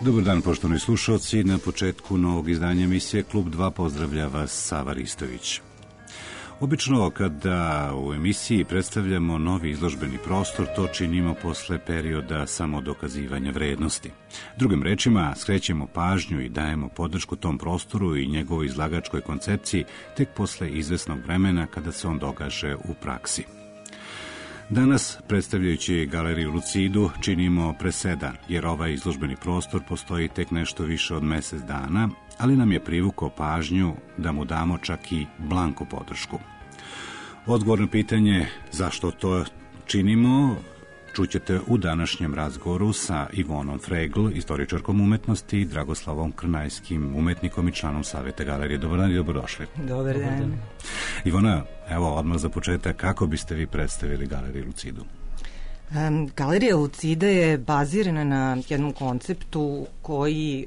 Dobar dan, poštovani slušalci. Na početku novog izdanja emisije Klub 2 pozdravlja vas Sava Ristović. Obično kada u emisiji predstavljamo novi izložbeni prostor, to činimo posle perioda samodokazivanja vrednosti. Drugim rečima, skrećemo pažnju i dajemo podršku tom prostoru i njegovoj izlagačkoj koncepciji tek posle izvesnog vremena kada se on dogaže u praksi. Danas, predstavljajući galeriju Lucidu, činimo presedan, jer ovaj izložbeni prostor postoji tek nešto više od mesec dana, ali nam je privukao pažnju da mu damo čak i blanko podršku. Odgovor na pitanje zašto to činimo čućete u današnjem razgovoru sa Ivonom Fregl, istoričarkom umetnosti, i Dragoslavom Krnajskim, umetnikom i članom Saveta galerije. Dobar dan i dobrodošli. Dobar dan. Ivona, evo odmah za početak, kako biste vi predstavili galeriju Lucidu? Galerija Lucida je bazirana na jednom konceptu koji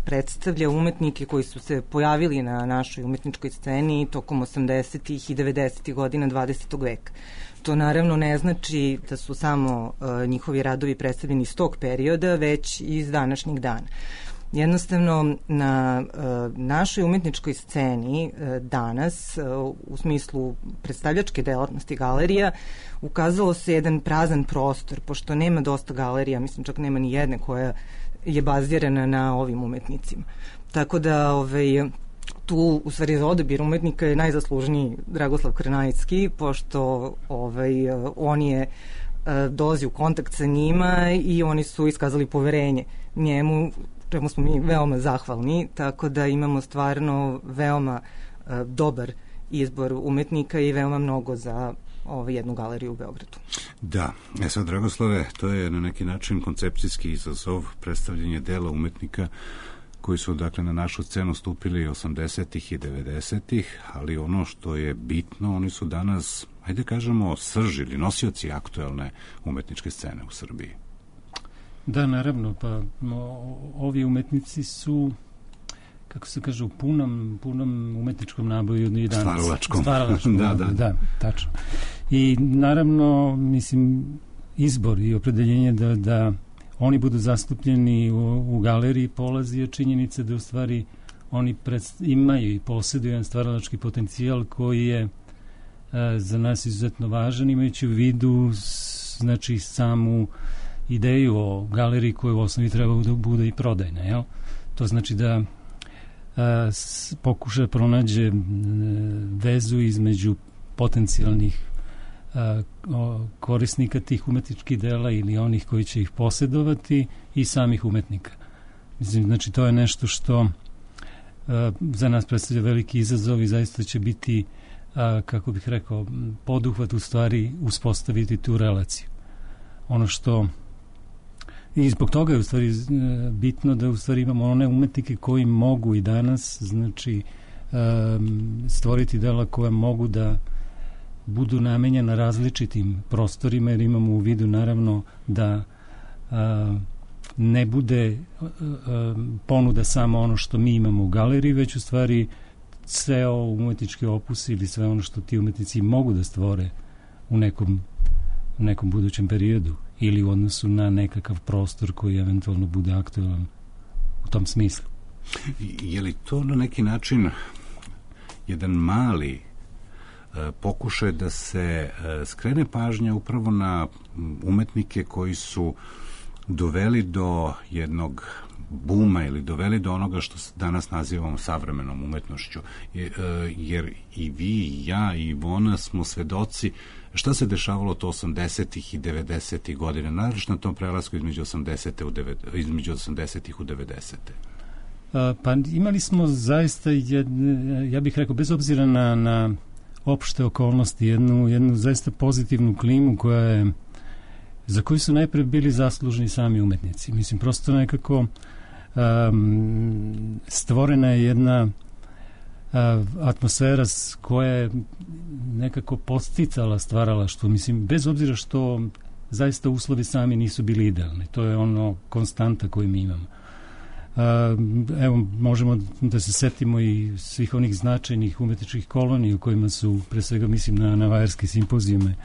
predstavlja umetnike koji su se pojavili na našoj umetničkoj sceni tokom 80. i 90. godina 20. veka. To naravno ne znači da su samo njihovi radovi predstavljeni iz tog perioda, već iz današnjeg dana. Jednostavno, na našoj umetničkoj sceni danas, u smislu predstavljačke delatnosti galerija, ukazalo se jedan prazan prostor, pošto nema dosta galerija, mislim čak nema ni jedne koja je bazirana na ovim umetnicima. Tako da tu, u stvari, za odabir umetnika je najzaslužniji Dragoslav Krnajski, pošto on je dolazi u kontakt sa njima i oni su iskazali poverenje njemu, čemu smo mi veoma zahvalni, tako da imamo stvarno veoma dobar izbor umetnika i veoma mnogo za jednu galeriju u Beogradu. Da, sad, Dragoslave, to je na neki način koncepcijski izazov, predstavljanje dela umetnika koji su, dakle, na našu scenu stupili 80. i 90. ali ono što je bitno, oni su danas, ajde kažemo, srž ili nosioci aktuelne umetničke scene u Srbiji. Da, naravno, pa ovi umetnici su, kako se kaže, u punom umetničkom naboju i danas. Stvaralačkom. Da, tačno. I naravno, mislim, izbor i opredeljenje da oni budu zastupljeni u galeriji polazi od činjenice da u stvari oni imaju i posjeduju jedan stvaralački potencijal koji je za nas izuzetno važan, imajući u vidu, znači, samu ideju o galeriji koja u osnovi treba da bude i prodajna, jel? To znači da pokuša pronađe vezu između potencijalnih korisnika tih umetničkih dela ili onih koji će ih posjedovati i samih umetnika. Mislim, znači, to je nešto što za nas predstavlja veliki izazov i zaista će biti, kako bih rekao, poduhvat u stvari uspostaviti tu relaciju. Ono što i zbog toga je u stvari bitno da u stvari imamo one umetnike koji mogu i danas, znači, stvoriti dela koja mogu da budu namenjena različitim prostorima, jer imamo u vidu naravno da ne bude ponuda samo ono što mi imamo u galeriji, već u stvari sve ovo umetnički opus ili sve ono što ti umetnici mogu da stvore u nekom budućem periodu ili u odnosu na nekakav prostor koji eventualno bude aktualan u tom smislu. Je li to na neki način jedan mali pokušaj da se skrene pažnja upravo na umetnike koji su doveli do jednog buma ili doveli do onoga što danas nazivamo savremenom umetnošću, jer i vi, i ja, i Ivona smo svedoci šta se dešavalo to 80. i 90. godine, naravno na tom prelasku između 80. u 90. Pa imali smo zaista ja bih rekao, bez obzira na opšte okolnosti, jednu zaista pozitivnu klimu za koju su najpre bili zaslužni sami umetnici. Mislim, prosto nekako stvorena je jedna atmosfera koja je nekako podsticala stvaralaštvo. Mislim, bez obzira što zaista uslovi sami nisu bili idealni. To je ono konstanta koju mi imamo. Evo, možemo da se setimo i svih onih značajnih umetničkih kolonija u kojima su, pre svega mislim na vajarske simpozijume,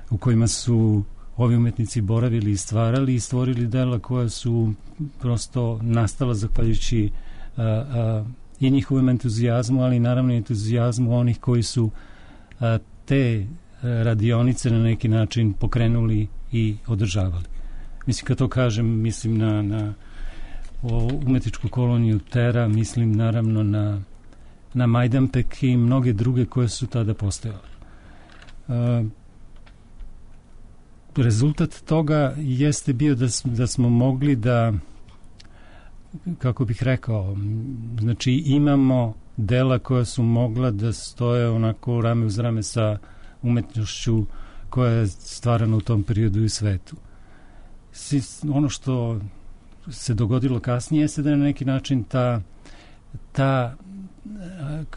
u kojima su ovi umetnici boravili i stvarali i stvorili dela koja su prosto nastala zahvaljujući i njihovom entuzijazmu, ali naravno i entuzijazmu onih koji su te radionice na neki način pokrenuli i održavali. Mislim, kad to kažem, mislim na umetničku koloniju Tera, mislim naravno na Majdanpek i mnoge druge koje su tada postojale. Rezultat toga jeste bio da smo mogli da, kako bih rekao, znači imamo dela koja su mogla da stoje onako rame uz rame sa umetnošću koja je stvarana u tom periodu i u svetu. Ono što se dogodilo kasnije jeste da je na neki način ta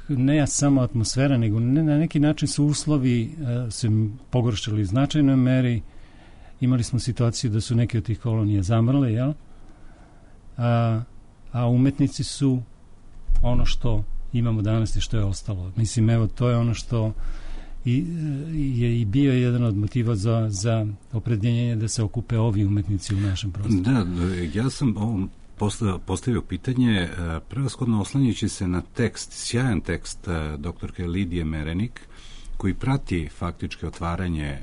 ne samo atmosfera, nego na neki način su uslovi se pogoršali u značajnoj meri. Imali smo situaciju da su neke od tih kolonija zamrle, jel? A umetnici su ono što imamo danas i što je ostalo. Mislim, evo, to je ono što je i bio jedan od motiva za opredjeljenje da se okupe ovi umetnici u našem prostoru. Da, ja sam ovom postavio pitanje prevashodno oslanjajući se na tekst, sjajan tekst doktorke Lidije Merenik, koji prati faktički otvaranje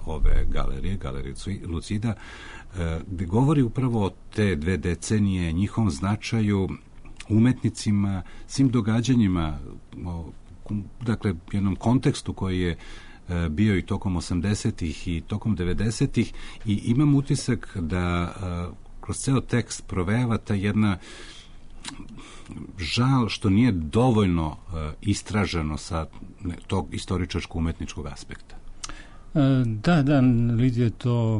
ove galerije Lucida, gde govori upravo o te 2 decenije, njihovom značaju, umetnicima, svim događanjima, dakle, jednom kontekstu koji je bio i tokom 80-ih i tokom 90-ih, i imam utisak da kroz ceo tekst provejava ta jedna žal što nije dovoljno istraženo sa tog istoričarsko-umetničkog aspekta. Da, Lidija je to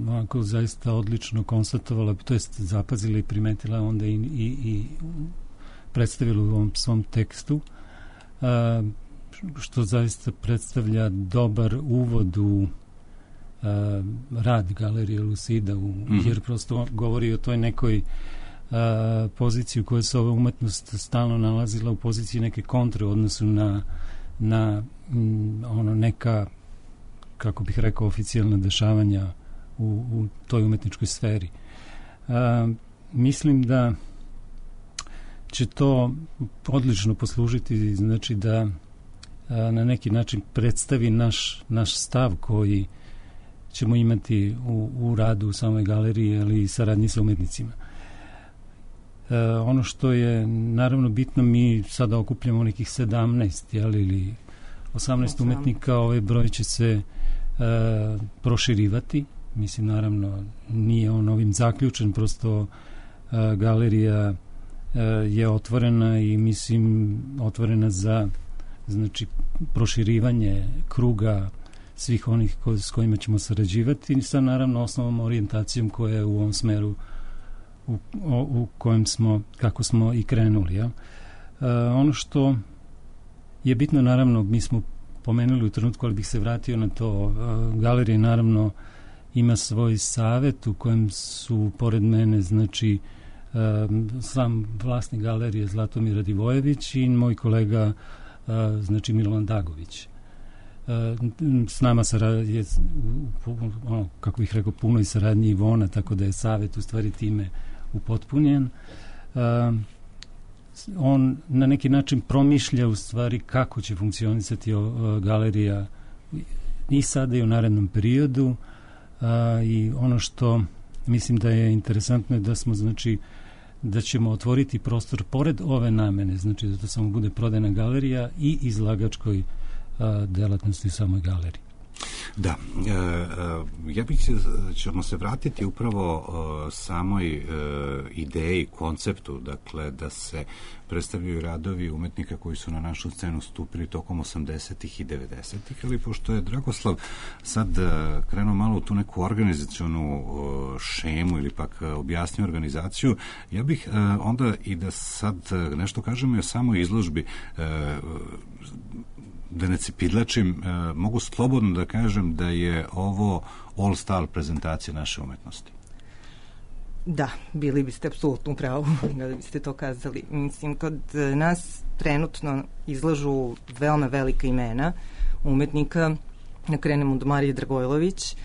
onako zaista odlično konstatovala, to jest zapazila i primetila, onda i predstavila u ovom svom tekstu, što zaista predstavlja dobar uvod u rad Galerije Lucida, jer prosto govori o toj nekoj poziciji u kojoj se ova umetnost stalno nalazila, u poziciji neke kontre u odnosu na ono neka, kako bih rekao, oficijalna dešavanja u toj umetničkoj sferi. Mislim da će to odlično poslužiti, znači da na neki način predstavi naš stav koji ćemo imati u radu u samoj galeriji, ali i saradnji sa umetnicima. Ono što je naravno bitno, mi sada okupljamo nekih 17 ili 18 umetnika, ovaj broj će se proširivati. Mislim, naravno, nije on ovim zaključen, prosto galerija je otvorena i mislim otvorena za, znači, proširivanje kruga svih onih s kojima ćemo sarađivati, sa naravno osnovnom orijentacijom koja je u ovom smeru u kojem smo, kako smo i krenuli. Ja? Ono što je bitno, naravno, mi smo pomenuli u trenutku, ali bih se vratio na to, galerija naravno ima svoj savet u kojem su pored mene, znači, sam vlasnik galerije Zlatomir Radivojević i moj kolega, znači, Milovan Dagović. S nama je, kako bih rekao, puno i saradnji Ivona, tako da je savet u stvari time upotpunjen. On na neki način promišlja u stvari kako će funkcionisati galerija i sada i u narednom periodu, i ono što mislim da je interesantno je da smo, znači, da ćemo otvoriti prostor pored ove namene, znači da to samo bude prodajna galerija i izlagačkoj delatnosti u samoj galeriji. Da, ćemo se vratiti upravo samoj ideji, konceptu, dakle, da se predstavljaju radovi umetnika koji su na našu scenu stupili tokom 80-ih i 90-ih, ali pošto je Dragoslav sad krenuo malo u tu neku organizacionu šemu ili pak objasnio organizaciju, ja bih onda i da sad nešto kažemo i o samoj izložbi. Da ne cepidlačim, mogu slobodno da kažem da je ovo all-star prezentacija naše umetnosti. Da, bili biste apsolutno u pravu da biste to kazali. Mislim, kod nas trenutno izlažu veoma velika imena umetnika. Krenemo od Marije Dragojlović,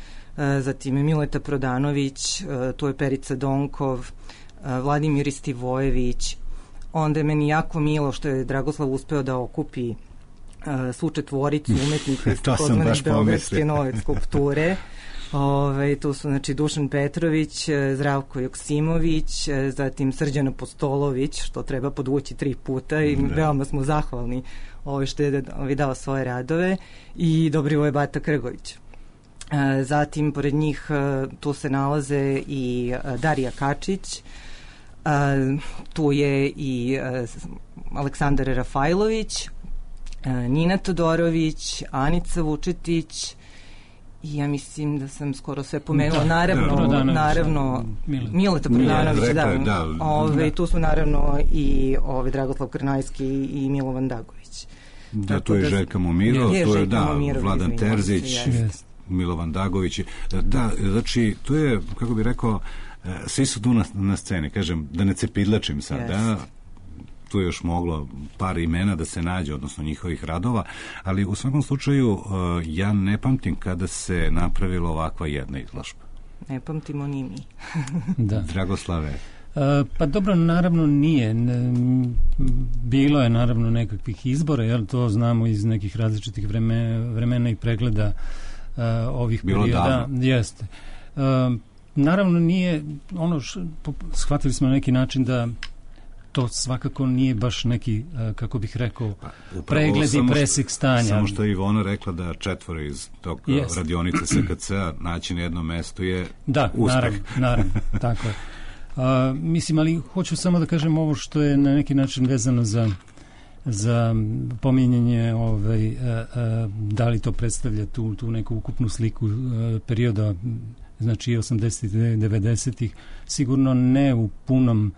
zatim Mileta Prodanović, tu je Perica Donkov, Vladimir Istivojević. Onda je meni jako milo što je Dragoslav uspeo da okupi svu četvoricu umetnika iz takozvane beogradske nove skulpture. Tu su znači Dušan Petrović, Zdravko Joksimović, zatim Srđan Apostolović, što treba podvući 3 puta i veoma smo zahvalni što je dao svoje radove, i Dobrivoje Bata Krgović. Zatim pored njih tu se nalaze i Darija Kačić, tu je i Aleksandar Rafajlović, Nina Todorović, Anica Vučetić, i ja mislim da sam skoro sve pomenula. Naravno Mileta Prodanović, tu su naravno i Dragoslav Krnajski i Milovan Dagović. Da, to je Željka Momiro, to je Vladan Terzić, Milovan Dagović. Da, znači, to je, kako bih rekao, svi su tu na sceni, kažem, da ne cepidlačim sad, da, tu je još moglo par imena da se nađe, odnosno njihovih radova, ali u svakom slučaju ja ne pamtim kada se napravila ovakva jedna izložba. Ne pamtimo ni mi. Da. Dragoslave? Pa dobro, naravno nije. Bilo je naravno nekakvih izbora, jer to znamo iz nekih različitih vremena i pregleda ovih perioda. Jeste. Naravno nije shvatili smo na neki način da to svakako nije baš neki, kako bih rekao, pregled i presek stanja. Samo što je Ivona rekla da 4 iz tog radionice SKC-a naći na jednom mestu je uspeh. Naravno, tako je. Mislim, ali hoću samo da kažem ovo što je na neki način vezano za pominjanje da li to predstavlja tu neku ukupnu sliku perioda, znači 80-ih, 90-ih, sigurno ne u punom,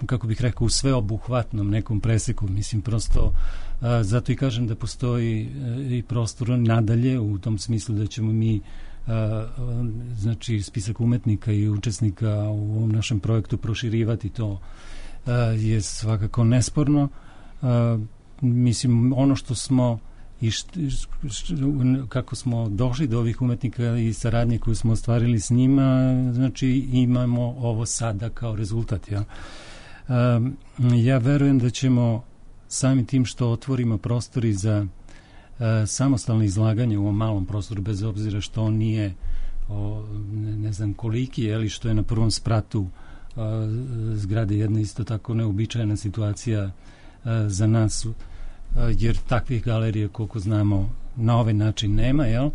kako bih rekao, u sveobuhvatnom nekom preseku. Mislim, prosto zato i kažem da postoji i prostor nadalje, u tom smislu da ćemo mi znači spisak umetnika i učesnika u ovom našem projektu proširivati, to je svakako nesporno. Mislim, ono što smo i kako smo došli do ovih umetnika i saradnje koju smo ostvarili s njima, znači imamo ovo sada kao rezultat. Ja verujem da ćemo samim tim što otvorimo prostori za samostalno izlaganje u ovom malom prostoru, bez obzira što on nije ne znam koliki, ali što je na prvom spratu zgrade, jedna isto tako neobičajna situacija za nas, jer takvih galerija, koliko znamo, na ovaj način nema, jel?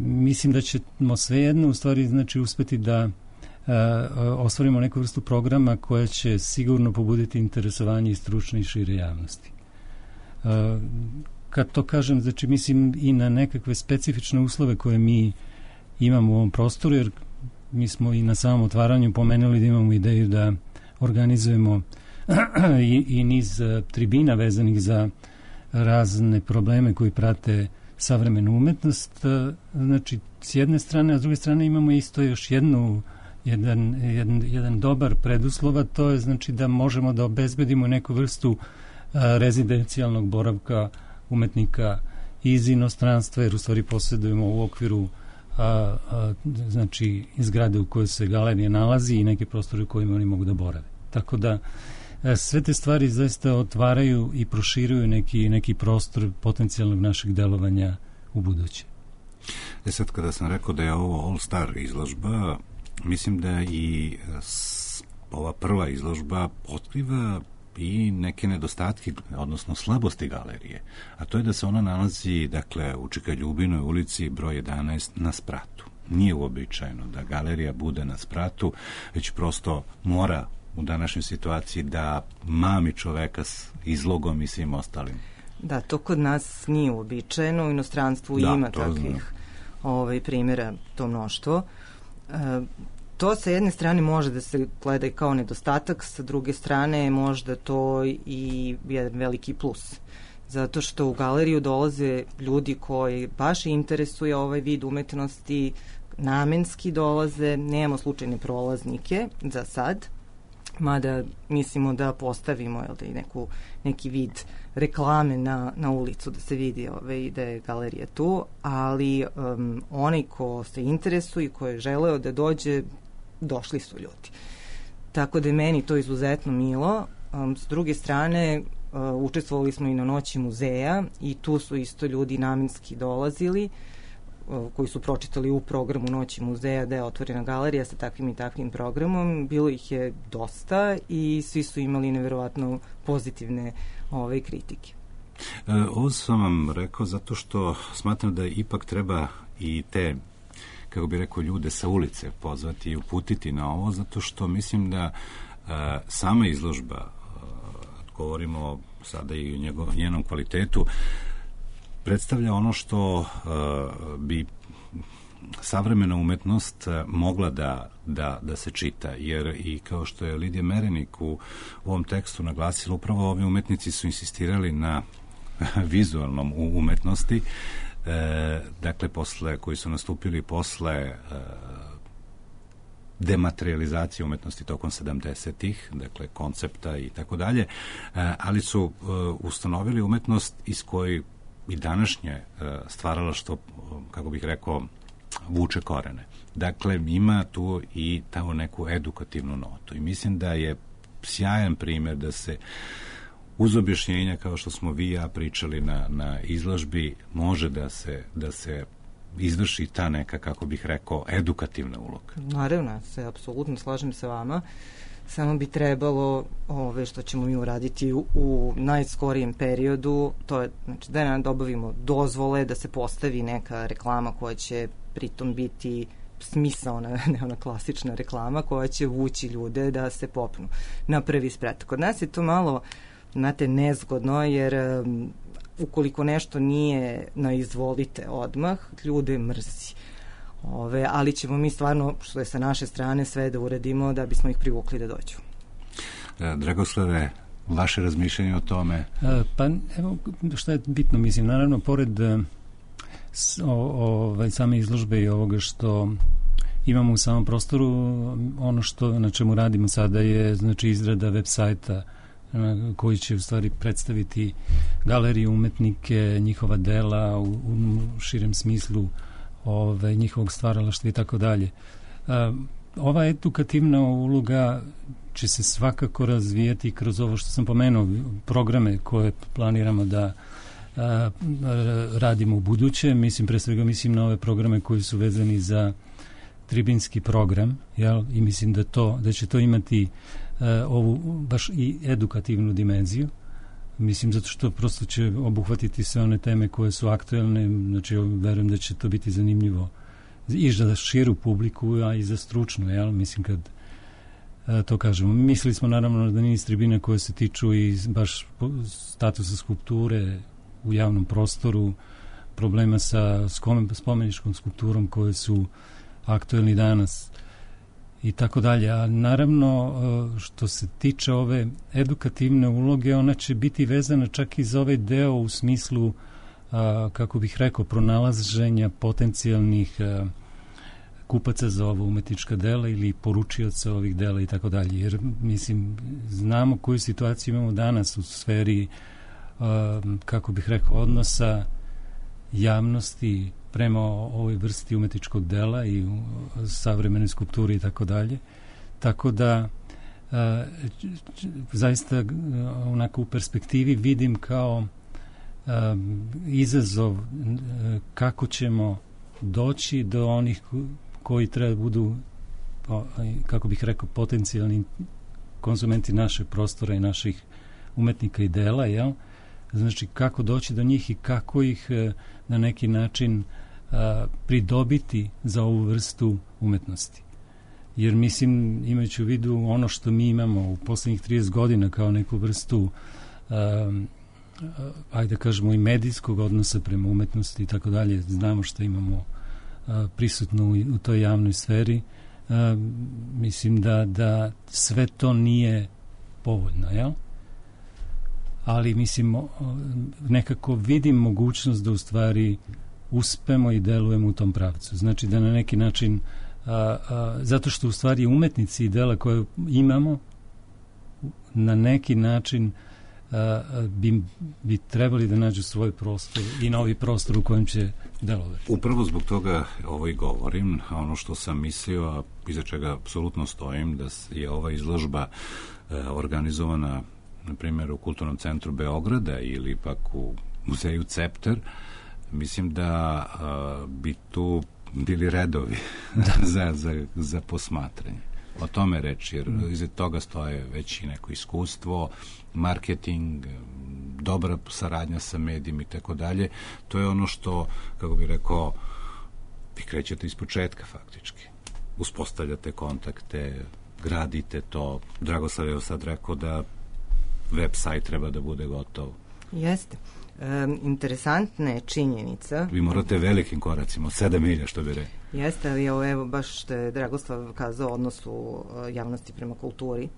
Mislim da ćemo svejedno u stvari znači uspeti da ostvarimo neku vrstu programa koja će sigurno pobuditi interesovanje i stručne i šire javnosti. Kad to kažem, znači mislim i na nekakve specifične uslove koje mi imamo u ovom prostoru, jer mi smo i na samom otvaranju pomenuli da imamo ideju da organizujemo i niz tribina vezanih za razne probleme koji prate savremenu umetnost. Znači, s jedne strane, a s druge strane imamo isto još jedan dobar preduslova, to je znači da možemo da obezbedimo neku vrstu rezidencijalnog boravka umetnika iz inostranstva, jer u stvari posjedujemo u okviru znači zgrade u kojoj se galerija nalazi i neke prostore u kojima oni mogu da borave. Tako da sve te stvari zaista otvaraju i proširuju neki prostor potencijalnog našeg delovanja u buduće. Sad kada sam rekao da je ovo All Star izložba, mislim da i ova prva izložba otkriva i neke nedostatke, odnosno slabosti galerije, a to je da se ona nalazi, dakle, u Čika Ljubinoj ulici broj 11 na spratu. Nije uobičajeno da galerija bude na spratu, već prosto mora u današnjoj situaciji da mami čoveka s izlogom i svim ostalim. Da, to kod nas nije uobičajeno, u inostranstvu ima takvih primjera, to mnoštvo. To sa jedne strane može da se gleda kao nedostatak, sa druge strane možda to i jedan veliki plus. Zato što u galeriju dolaze ljudi koji baš interesuje ovaj vid umetnosti, namenski dolaze, nemamo slučajne prolaznike za sad, mada mislimo da postavimo neki vid reklame na ulicu da se vidi da je galerija tu, ali onaj ko se interesuje i ko je želeo da dođe, došli su ljudi. Tako da je meni to izuzetno milo. S druge strane, učestvovali smo i na Noći muzeja i tu su isto ljudi namenski dolazili, koji su pročitali u programu Noći muzeja da je otvorena galerija sa takvim i takvim programom. Bilo ih je dosta i svi su imali neverovatno pozitivne kritike. Ovo sam vam rekao zato što smatram da ipak treba i te, kako bi rekao, ljude sa ulice pozvati i uputiti na ovo, zato što mislim da sama izložba, govorimo sada i o njenom kvalitetu, predstavlja ono što bi savremena umetnost mogla da se čita, jer i kao što je Lidija Merenik u ovom tekstu naglasila, upravo ovi umetnici su insistirali na vizualnom umetnosti, dakle koji su nastupili posle dematerializacije umetnosti tokom 70-ih, dakle koncepta i tako dalje, ali su ustanovili umetnost iz koje i današnje stvaralaštvo, kako bih rekao, vuče korene. Dakle, ima tu i tamo neku edukativnu notu i mislim da je sjajan primjer da se uz objašnjenja, kao što smo vi i ja pričali na izložbi, može da se izvrši ta neka, kako bih rekao, edukativna uloga. Naravno, se apsolutno slažem sa vama. Samo bi trebalo što ćemo mi uraditi u najskorijem periodu, to je da dobavimo dozvole, da se postavi neka reklama koja će pritom biti smisaona, ne ona klasična reklama koja će vući ljude da se popnu na prvi sprat. Kod nas je to malo, znate, nezgodno, jer ukoliko nešto nije na izvolite odmah, ljude mrzi. Ali ćemo mi stvarno, što je sa naše strane, sve da uradimo da bismo ih privukli da dođu. Dragoslave, vaše razmišljanje o tome? Pa evo što je bitno, mislim, naravno, pored same izložbe i ovoga što imamo u samom prostoru, ono što na čemu radimo sada je, znači, izrada web sajta koji će u stvari predstaviti galeriju, umetnike, njihova dela u širem smislu njihovog stvaralaštva i tako dalje. Ova edukativna uloga će se svakako razvijati kroz ovo što sam pomenuo, programe koje planiramo da radimo u buduće. Mislim, pre svega mislim na ove programe koji su vezani za tribinski program, jel? I mislim da će to imati ovu baš i edukativnu dimenziju. Mislim, zato što prosto će obuhvatiti sve one teme koje su aktuelne, znači verujem da će to biti zanimljivo i za širu publiku, a i za stručnu, jel? Mislim, kad to kažemo. Mislili smo naravno na niz tribine koje se tiču i baš statusa skulpture u javnom prostoru, problema sa spomeničkom skulpturom koje su aktuelni danas i tako dalje. A naravno, što se tiče ove edukativne uloge, ona će biti vezana čak i za ovaj deo u smislu, kako bih rekao, pronalaženja potencijalnih kupaca za ovo umetnička dela ili poručioca ovih dela i tako dalje. Jer, mislim, znamo koju situaciju imamo danas u sferi, kako bih rekao, odnosa javnosti prema ovoj vrsti umetničkog dela i savremene skulpture i tako dalje. Tako da zaista onako u perspektivi vidim kao izazov kako ćemo doći do onih koji treba budu, kako bih rekao, potencijalni konzumenti našeg prostora i naših umetnika i dela, jel? Znači, kako doći do njih i kako ih na neki način pridobiti za ovu vrstu umetnosti. Jer, mislim, imajući u vidu ono što mi imamo u poslednjih 30 godina kao neku vrstu ajde kažemo i medijskog odnosa prema umetnosti i tako dalje, znamo što imamo prisutno u toj javnoj sferi, mislim da sve to nije povoljno, jel? Ali mislim, nekako vidim mogućnost da u stvari uspemo i delujemo u tom pravcu. Znači da na neki način, zato što u stvari umetnici i dela koje imamo na neki način bi trebali da nađu svoj prostor i novi prostor u kojem će delovati. Upravo zbog toga ovo i govorim, ono što sam mislio, a iza čega apsolutno stojim, da je ova izložba organizovana, na primjer, u Kulturnom centru Beograda ili pak u muzeju Cepter, mislim da bi tu bili redovi za posmatranje. O tome reći, jer iza toga stoje već i neko iskustvo, marketing, dobra saradnja sa medijima i tako dalje. To je ono što, kako bih rekao, vi krećete iz početka faktički. Uspostavljate kontakte, gradite to. Dragoslav je sad rekao da web sajt treba da bude gotov. Jeste. Interesantna je činjenica. Vi morate velikim koracima, 7 milja, što bi rekao. Jeste, ali evo baš što je Dragoslav kazao o odnosu javnosti prema kulturi.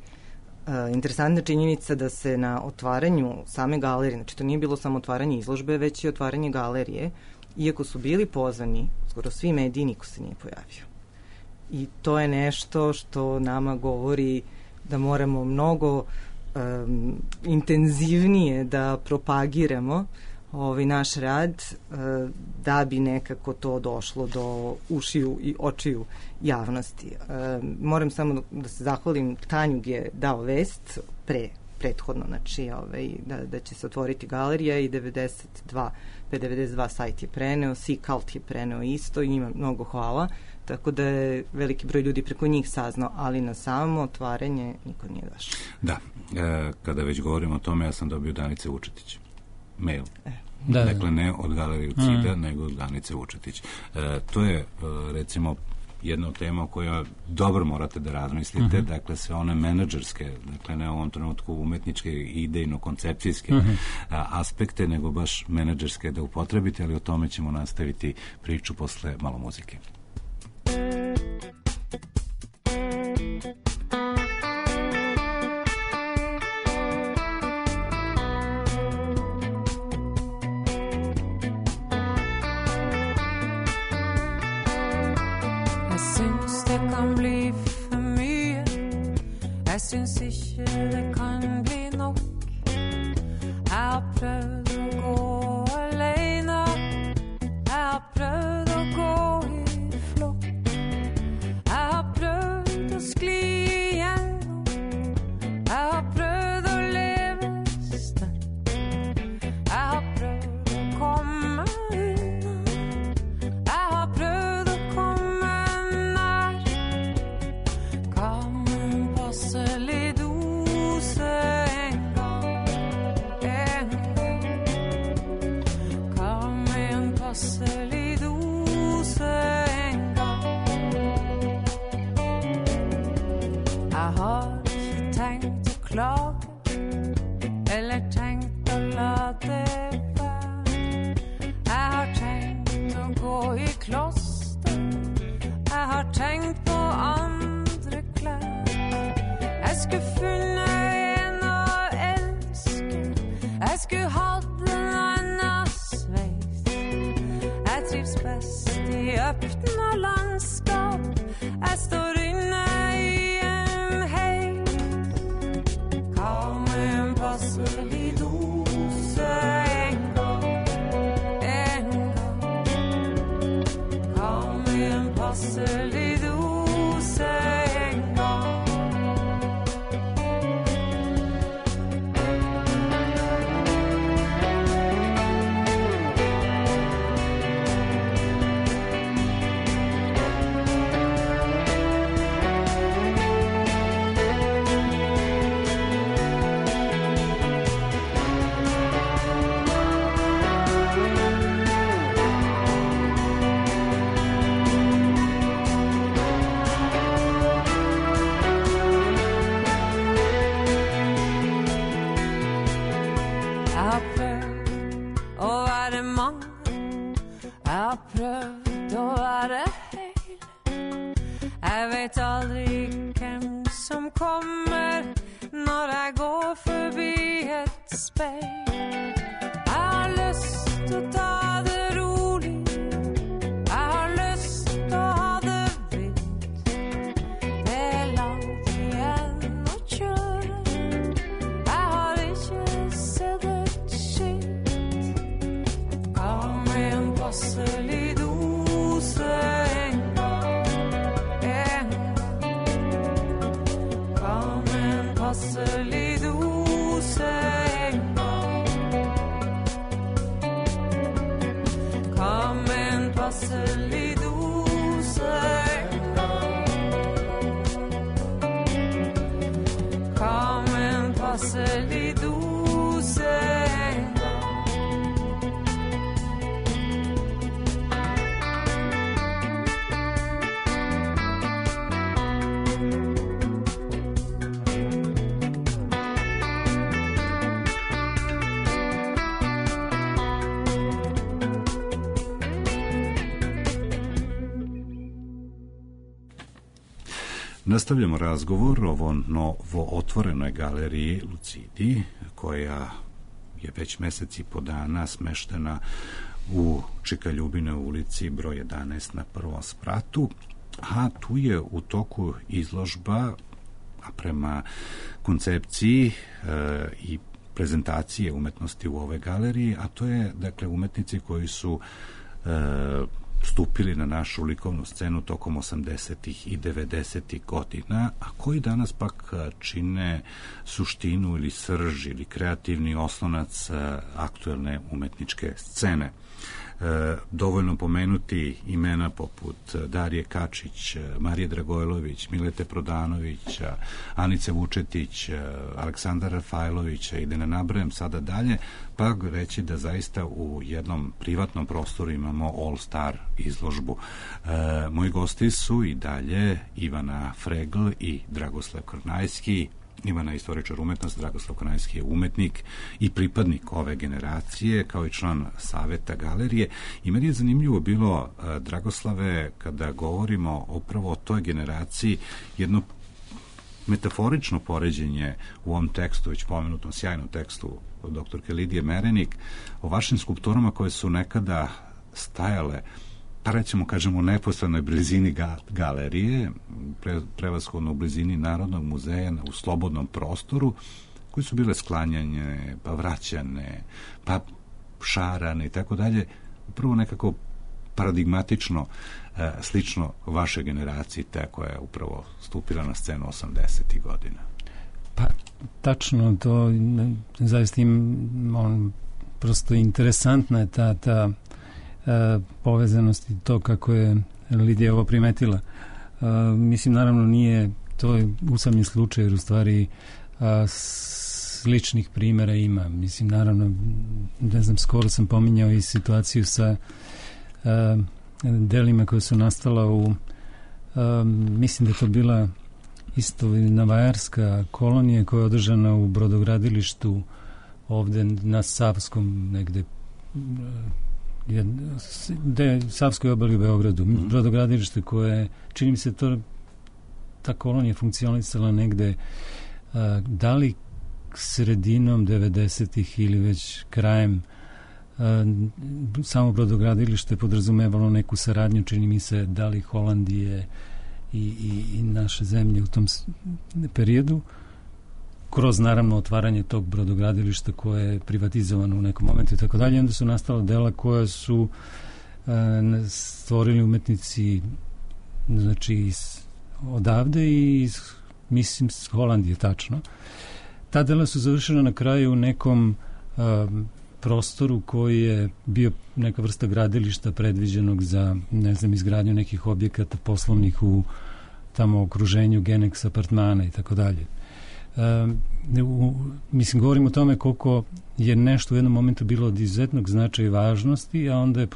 Interesantna činjenica da se na otvaranju same galerije, znači to nije bilo samo otvaranje izložbe, već i otvaranje galerije, iako su bili pozvani skoro svi mediji, niko se nije pojavio. I to je nešto što nama govori da moramo mnogo intenzivnije da propagiramo naš rad da bi nekako to došlo do ušiju i očiju javnosti. Moram samo da se zahvalim, Tanjug je dao vest prethodno, znači da će se otvoriti galerija i 92 sajt je preneo, Sikalt je preneo isto i njima mnogo hvala, tako da je veliki broj ljudi preko njih saznao, ali na samo otvaranje niko nije došao. Da, kada već govorimo o tome, ja sam dobio Danice Vučetić mail. Da. Dakle, ne od Galerije Cida, nego od Danice Vučetić. To je, recimo, jedna od tema o kojoj dobro morate da razmislite, dakle, sve one menadžerske, dakle, ne u ovom trenutku umetničke, idejno-koncepcijske aspekte, nego baš menadžerske da upotrebite, ali o tome ćemo nastaviti priču posle malo muzike. Jeg synes ikke det kan bli nok. Jeg har prøvd å gå alene. Jeg har prøvd å gå i flokk. Jeg har prøvd å skli igjennom. Jeg har prøvd å leve sterkt. Jeg har prøvd å komme unna. Jeg har prøvd å komme nær. Kan passelig dose en gang. Kan med en passelig dose en gang. Jeg har ikke tenkt å klage, eller tenkt å la det være. Jeg har tenkt å gå i kloster. Jeg har tenkt på andre klær. Jeg skulle funnet en å elske. Jeg skulle hatt en annen sveis. Jeg trives best i øppna landskap. Jeg står inne i en heis. Hva med en passelig dose en gang? En gang. Hva med en passelig dose en gang? Jeg har prøvd å være mange. Jeg har prøvd å være hel. Jeg vet aldri hvem som kommer når jeg går forbi et speil. Jeg har lyst til å ta det rolig. Jeg har lyst til å ha det vilt. Det er langt igjen å kjøre. Nastavljamo razgovor o novo otvorenoj galeriji Lucidi, koja je već mesec i po dana smeštena u Čika Ljubine ulici broj 11 na prvom spratu, a tu je u toku izložba, a prema koncepciji i prezentacije umetnosti u ovoj galeriji, a to je, dakle, umetnici koji su stupili na našu likovnu scenu tokom 80. i 90. godina, a koji danas pak čine suštinu ili srž ili kreativni oslonac aktuelne umetničke scene. Dovoljno pomenuti imena poput Darije Kačić, Marije Dragojlović, Milete Prodanovića, Anice Vučetić, Aleksandara Rafajlovića i da ne nabrajem sada dalje, pa reći da zaista u jednom privatnom prostoru imamo all-star izložbu. Moji gosti su i dalje Ivana Fregl i Dragoslav Krnajski. Ivana je istoričar umetnosti, Dragoslav Krnajski je umetnik i pripadnik ove generacije, kao i član saveta galerije. I meni je zanimljivo bilo, Dragoslave, kada govorimo upravo o toj generaciji, jedno metaforično poređenje u ovom tekstu, već pomenutom sjajnom tekstu doktorke Lidije Merenik, o vašim skulpturama koje su nekada stajale, pa recimo kažemo u neposrednoj blizini galerije, prevashodno u blizini Narodnog muzeja, u slobodnom prostoru, koji su bile sklanjanje, pa vraćane, pa šarane i tako dalje, upravo nekako paradigmatično slično vašoj generaciji, te koja je upravo stupila na scenu 80. godina. Pa, tačno, to zaista prosto interesantna je ta povezanost i to kako je Lidija ovo primetila. Mislim, naravno, nije to je usamljen slučaj, jer u stvari sličnih primjera ima. Mislim, naravno, ne znam, skoro sam pominjao i situaciju sa delima koje su nastala u mislim da je to bila isto navajarska kolonija koja je održana u brodogradilištu ovde na Savskom negde Savskoj obali u Beogradu. Brodogradilište koje, čini mi se, ta kolonija funkcionisala negde da li sredinom 90-ih ili već krajem. Samo brodogradilište podrazumevalo neku saradnju, čini mi se, da li Holandije i naše zemlje u tom periodu, kroz naravno otvaranje tog brodogradilišta koje je privatizovano u nekom momentu i tako dalje. Onda su nastala dela koja su stvorili umetnici, znači odavde i mislim s Holandije, tačno. Ta dela su završena na kraju u nekom prostoru koji je bio neka vrsta gradilišta predviđenog za, ne znam, izgradnju nekih objekata poslovnih u tamo okruženju Genex apartmana i tako dalje. Mislim, govorim o tome koliko je nešto u jednom momentu bilo od izuzetnog značaja i važnosti, a onda je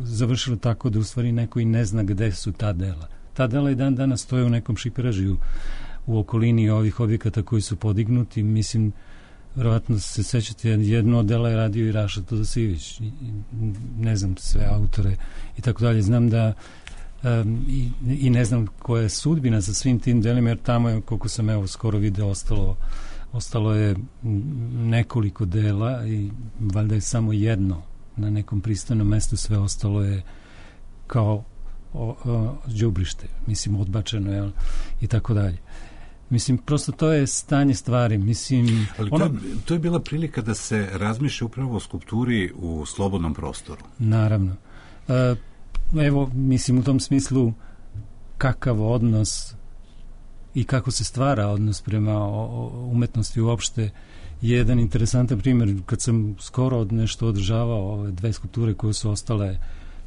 završilo tako da u stvari neko i ne zna gde su ta dela. Ta dela i dan danas stoje u nekom šiperažiju u okolini ovih objekata koji su podignuti. Mislim, verovatno se sećate, jedno od dela je radio i Raša Todosijević, ne znam sve autore i tako dalje. Znam da i ne znam koja je sudbina sa svim tim delima, jer tamo je, koliko sam evo skoro video, ostalo je nekoliko dela i valjda je samo jedno na nekom pristojnom mestu, sve ostalo je kao đubrište, mislim, odbačeno je i tako dalje. Mislim, prosto to je stanje stvari. Mislim, ali to je bila prilika da se razmišlja upravo o skulpturi u slobodnom prostoru. Naravno. Evo, mislim, u tom smislu kakav odnos i kako se stvara odnos prema umetnosti uopšte je jedan interesantan primjer. Kad sam skoro nešto održavao ove dve skulpture koje su ostale,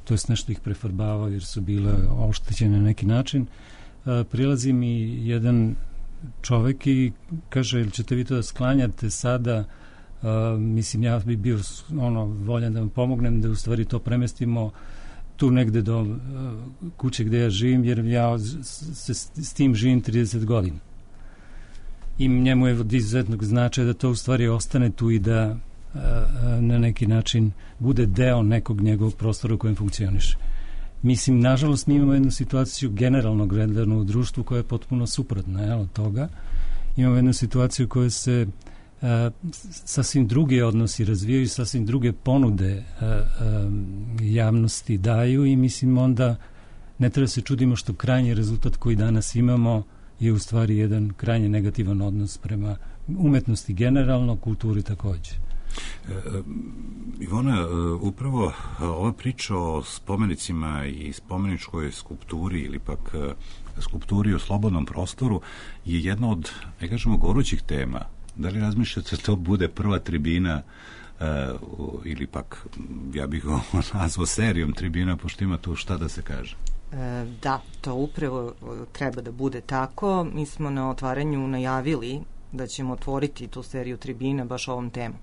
to jest nešto ih prefarbavao jer su bile oštećene na neki način, prilazi mi jedan čovek i kaže, ili ćete vi to da sklanjate sada? Mislim, ja bi bio voljan da vam pomognem da u stvari to premestimo tu negde do kuće gde ja živim, jer ja s tim živim 30 godina. I njemu je od izuzetnog značaja da to u stvari ostane tu i da na neki način bude deo nekog njegovog prostora u kojem funkcioniše. Mislim, nažalost, mi imamo jednu situaciju generalno gledano u društvu koja je potpuno suprotna od toga. Imamo jednu situaciju koja se sasvim druge odnosi razvijaju, sasvim druge ponude javnosti daju i mislim onda ne treba se čudimo što krajnji rezultat koji danas imamo je u stvari jedan krajnje negativan odnos prema umetnosti generalno, kulturi takođe. Ivona, upravo ova priča o spomenicima i spomeničkoj skulpturi ili pak skulpturi u slobodnom prostoru je jedna od, ne kažemo, gorućih tema. Da li razmišljate da to bude prva tribina ili pak, ja bih go nazvao serijom tribina, pošto ima tu šta da se kaže? Da, to upravo treba da bude tako. Mi smo na otvaranju najavili da ćemo otvoriti tu seriju tribina baš ovom temom.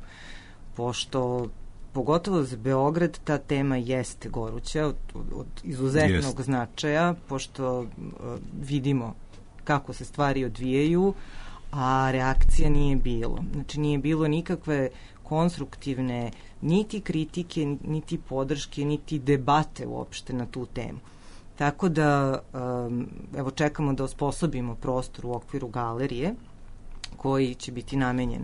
Pošto, pogotovo za Beograd, ta tema jeste goruća, od izuzetnog značaja, pošto vidimo kako se stvari odvijaju, a reakcija nije bilo. Znači, nije bilo nikakve konstruktivne niti kritike, niti podrške, niti debate uopšte na tu temu. Tako da, evo, čekamo da osposobimo prostor u okviru galerije, koji će biti namenjen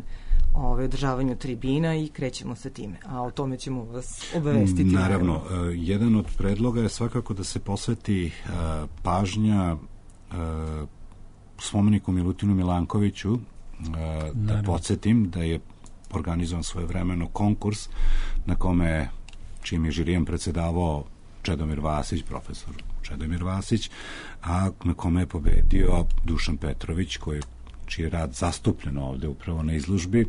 održavanju tribina i krećemo sa time. A o tome ćemo vas obavestiti. Naravno, jedan od predloga je svakako da se posveti pažnja spomeniku Milutinu Milankoviću, da podsjetim da je organizovan svojevremeno konkurs na kome, čim je žirijem predsedavao Čedomir Vasić, profesor Čedomir Vasić, a na kome je pobedio Dušan Petrović, čiji je rad zastupljen ovde upravo na izložbi,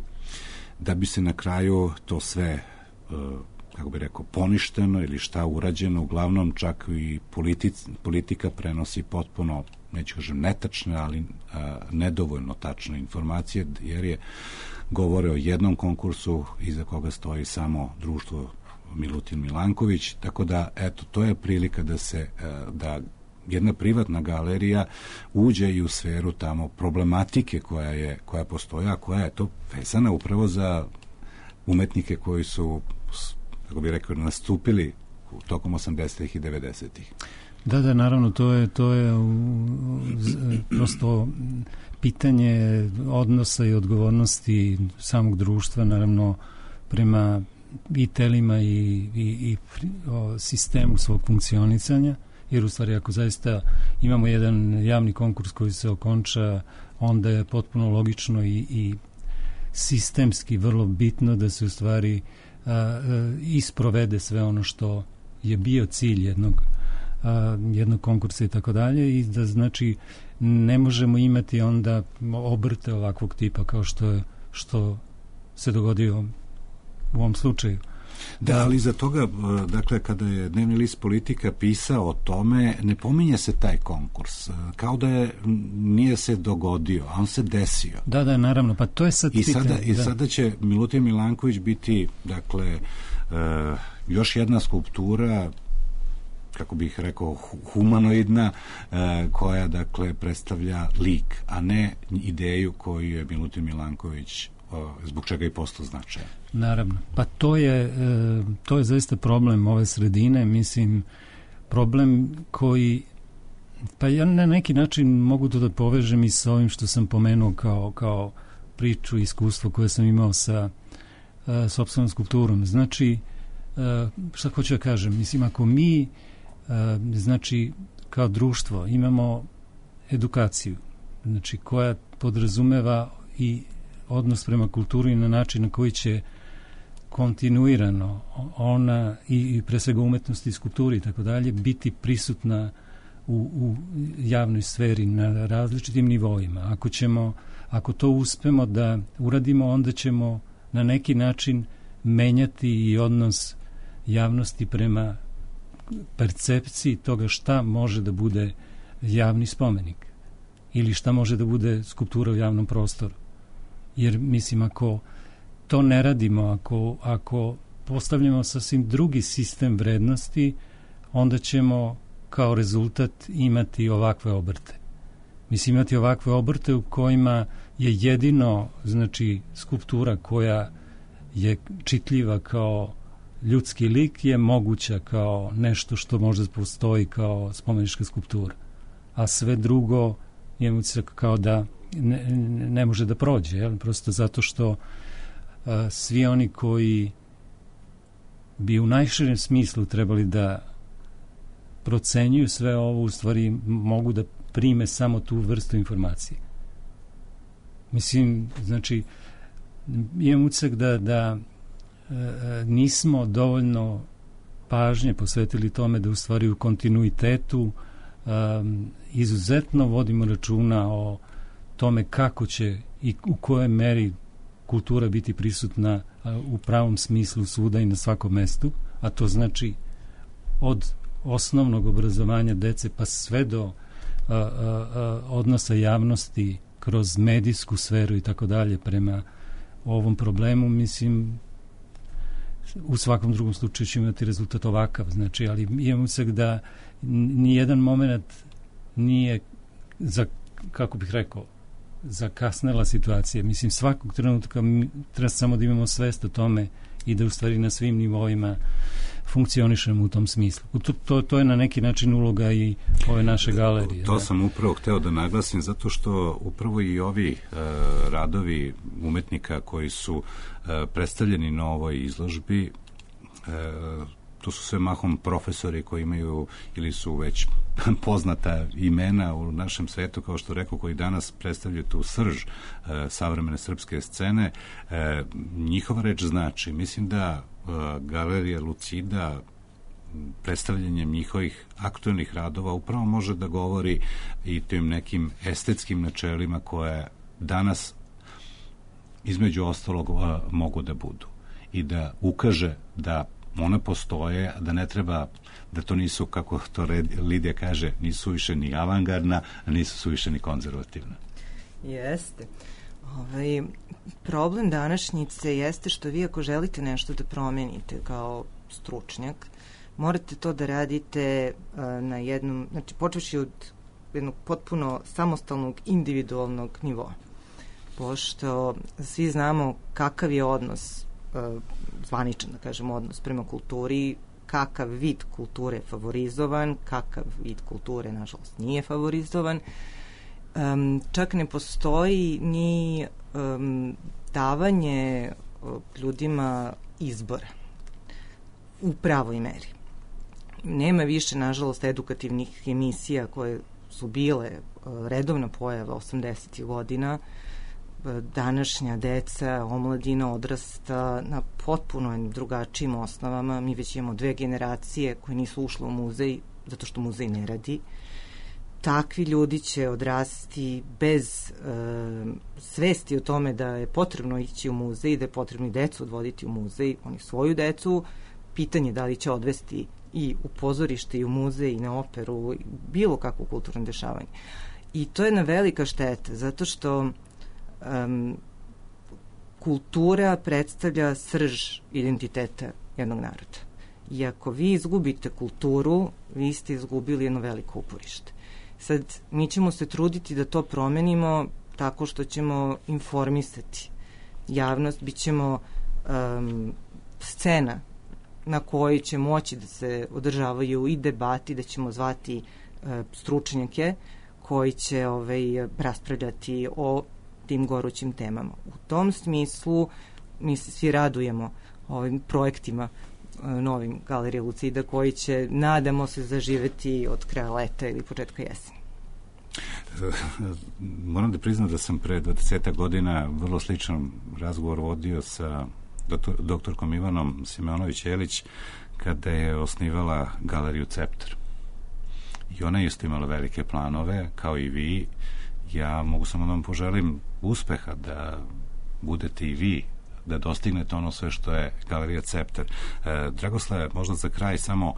da bi se na kraju to sve, kako bi rekao, poništeno ili šta urađeno, uglavnom čak i politika prenosi potpuno, neću kažem netačne, ali nedovoljno tačne informacije, jer je govore o jednom konkursu iza koga stoji samo društvo Milutin Milanković, tako da, eto, to je prilika da se, da jedna privatna galerija uđe i u sferu tamo problematike koja postoja, a koja je to vezana upravo za umetnike koji su, kako bih rekao, nastupili tokom 80-ih i 90-ih. Da, naravno, to je prosto pitanje odnosa i odgovornosti samog društva, naravno, prema i telima i sistemu svog funkcionisanja, jer u stvari ako zaista imamo jedan javni konkurs koji se okonča, onda je potpuno logično i sistemski vrlo bitno da se u stvari isprovede sve ono što je bio cilj jednog konkursa i tako dalje, i da znači ne možemo imati onda obrte ovakvog tipa kao što se dogodio u ovom slučaju. Da, ali za toga, dakle, kada je dnevni list Politika pisao o tome, ne pominje se taj konkurs, kao da nije se dogodio, a on se desio. Da, naravno, pa to je sad pitanje. I sada će Milutin Milanković biti, dakle, još jedna skulptura, kako bih rekao, humanoidna, koja, dakle, predstavlja lik, a ne ideju koju je Milutin Milanković, zbog čega i postao značajan. Naravno. Pa to je zaista problem ove sredine, mislim, problem koji, pa ja na neki način mogu to da povežem i sa ovim što sam pomenuo kao priču i iskustvo koje sam imao sa sopstvenom skulpturom. Znači, šta hoću da kažem, mislim, ako mi znači, kao društvo imamo edukaciju, znači, koja podrazumeva i odnos prema kulturi na način na koji će kontinuirano ona i pre svega umetnosti i skulpturi i tako dalje biti prisutna u javnoj sferi na različitim nivoima. Ako to uspemo da uradimo, onda ćemo na neki način menjati i odnos javnosti prema percepciji toga šta može da bude javni spomenik ili šta može da bude skulptura u javnom prostoru. Jer, mislim, ako to ne radimo, ako postavljamo sasvim drugi sistem vrednosti, onda ćemo kao rezultat imati ovakve obrte. Mislim, imati ovakve obrte u kojima je jedino, znači, skulptura koja je čitljiva kao ljudski lik je moguća kao nešto što možda postoji kao spomenička skulptura, a sve drugo je utisak kao da ne može da prođe, jel? Prosto zato što svi oni koji bi u najširem smislu trebali da procenjuju sve ovo, u stvari mogu da prime samo tu vrstu informacije. Mislim, znači, imam utisak da nismo dovoljno pažnje posvetili tome da u stvari u kontinuitetu izuzetno vodimo računa o tome kako će i u kojoj meri kultura biti prisutna u pravom smislu svuda i na svakom mestu, a to znači od osnovnog obrazovanja dece pa sve do odnosa javnosti kroz medijsku sferu i tako dalje prema ovom problemu. Mislim, u svakom drugom slučaju će imati rezultat ovakav, znači, ali imam utisak da nijedan moment nije kako bih rekao, zakasnela situacija. Mislim, svakog trenutka treba samo da imamo svest o tome i da u stvari na svim nivoima funkcionišemo u tom smislu. To je na neki način uloga i ove naše galerije. To sam upravo hteo da naglasim, zato što upravo i ovi radovi umetnika koji su predstavljeni na ovoj izložbi, to su sve mahom profesori koji imaju ili su već poznata imena u našem svetu, kao što rekao, koji danas predstavljaju tu srž savremene srpske scene. Njihova reč znači, mislim da galerija Lucida predstavljanjem njihovih aktuelnih radova upravo može da govori i tim nekim estetskim načelima koje danas između ostalog mogu da budu i da ukaže da one postoje, da ne treba, da to nisu, kako to Lidija kaže, nisu više ni avangardna, a nisu su više ni konzervativna. Jeste. Problem današnjice jeste što vi ako želite nešto da promenite kao stručnjak, morate to da radite na jednom, znači počevši od jednog potpuno samostalnog individualnog nivoa. Pošto svi znamo kakav je odnos, zvaničan da kažem odnos prema kulturi, kakav vid kulture je favorizovan, kakav vid kulture nažalost nije favorizovan. Čak ne postoji ni davanje ljudima izbora u pravoj meri. Nema više, nažalost, edukativnih emisija koje su bile redovna pojava 80. godina. Današnja deca, omladina odrasta na potpuno drugačijim osnovama. Mi već imamo 2 generacije koje nisu ušle u muzej zato što muzej ne radi. Takvi ljudi će odrasti bez svesti o tome da je potrebno ići u muzej, da je potrebno i decu odvoditi u muzej. Oni svoju decu, pitanje da li će odvesti i u pozorište i u muzej i na operu, bilo kakvo kulturno dešavanje. I to je jedna velika šteta, zato što kultura predstavlja srž identiteta jednog naroda. I ako vi izgubite kulturu, vi ste izgubili jedno veliko uporište. Sad, mi ćemo se truditi da to promenimo tako što ćemo informisati javnost, bit ćemo scena na kojoj će moći da se održavaju i debati, da ćemo zvati stručnjake koji će raspravljati o tim gorućim temama. U tom smislu mi se svi radujemo ovim projektima novim Galerije Lucida koji će, nadamo se, zaživeti od kraja leta ili početka jeseni. Moram da priznam da sam pre 20 godina vrlo sličan razgovor vodio sa doktorkom Ivanom Simonović-Jelić kada je osnivala Galeriju Ceptar. I ona je isto imala velike planove, kao i vi. Ja mogu samo da vam poželim uspeha, da budete i vi, da dostignete ono sve što je Galerija Ceptar. Dragoslave, možda za kraj samo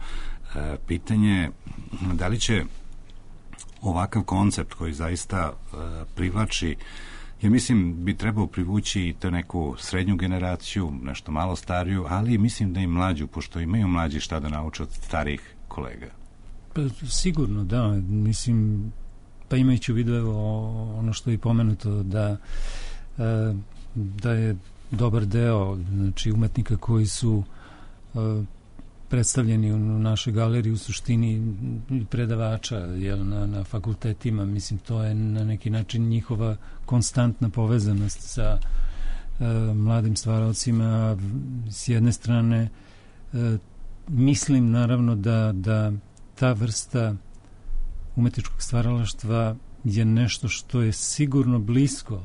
pitanje, da li će ovakav koncept koji zaista privlači, ja mislim bi trebao privući i to neku srednju generaciju, nešto malo stariju, ali mislim da i mlađu, pošto imaju mlađi šta da nauče od starijih kolega. Pa, sigurno, da. Mislim, pa imajući u vidu ono što je pomenuto, da je dobar deo, znači, umetnika koji su predstavljeni u našoj galeriji u suštini predavača na fakultetima. Mislim, to je na neki način njihova konstantna povezanost sa mladim stvaraocima. S jedne strane, mislim naravno da ta vrsta umetničkog stvaralaštva je nešto što je sigurno blisko,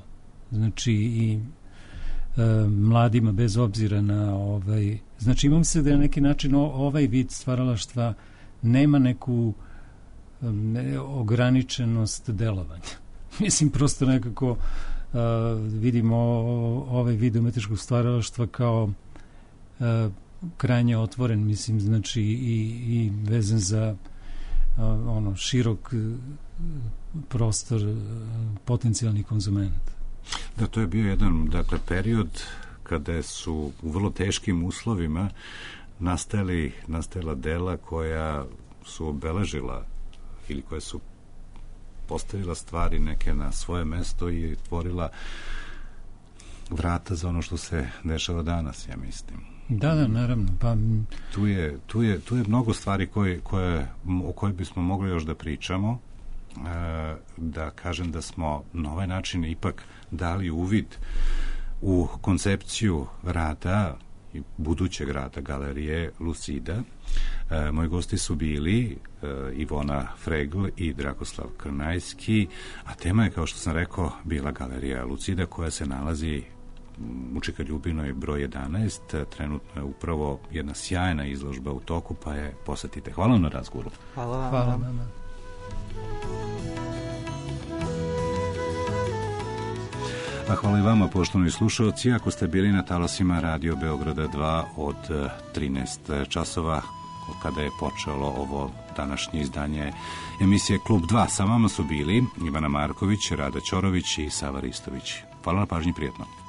znači i mladima bez obzira na znači imam se da je na neki način ovaj vid stvaralaštva nema neku ograničenost delovanja. Mislim, prosto nekako vidimo ovaj vid umetničkog stvaralaštva kao krajnje otvoren, mislim, znači i vezan za širok prostor potencijalnih konzumenata. Da, to je bio jedan, period kada su u vrlo teškim uslovima nastajala dela koja su obeležila ili koja su postavila stvari neke na svoje mesto i otvorila vrata za ono što se dešava danas, ja mislim. Da, naravno. Pa Tu je mnogo stvari o koje bismo mogli još da pričamo. Da kažem da smo na ovaj način ipak dali uvid u koncepciju rada i budućeg rada galerije Lucida. Moji gosti su bili Ivona Fregl i Dragoslav Krnajski, a tema je, kao što sam rekao, bila galerija Lucida koja se nalazi u Čika Ljubinoj broj 11. Trenutno je upravo jedna sjajna izložba u toku, pa je posetite. Hvala na razgovoru. Hvala vam. A hvala i vama, poštovani slušalci, ako ste bili na talasima Radio Beograda 2 od 13 časova, kada je počelo ovo današnje izdanje emisije Klub 2. Sa vama su bili Ivana Marković, Rada Ćorović i Sava Ristović. Hvala na pažnji, prijetno.